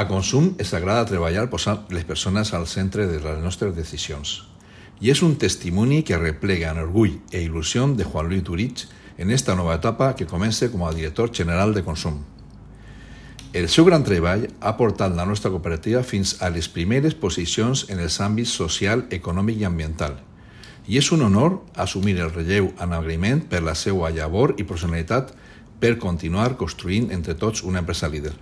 A Consum ens agrada treballar posant les persones al centre de les nostres decisions. I és un testimoni que replega en orgull i il·lusió de Juan Luis Durich en esta nova etapa que comença com a director general de Consum. El seu gran treball ha portat la nostra cooperativa fins a les primeres posicions en els àmbits social, econòmic i ambiental. I és un honor assumir el relleu en agraïment per la seva llavor i professionalitat per continuar construint entre tots una empresa líder.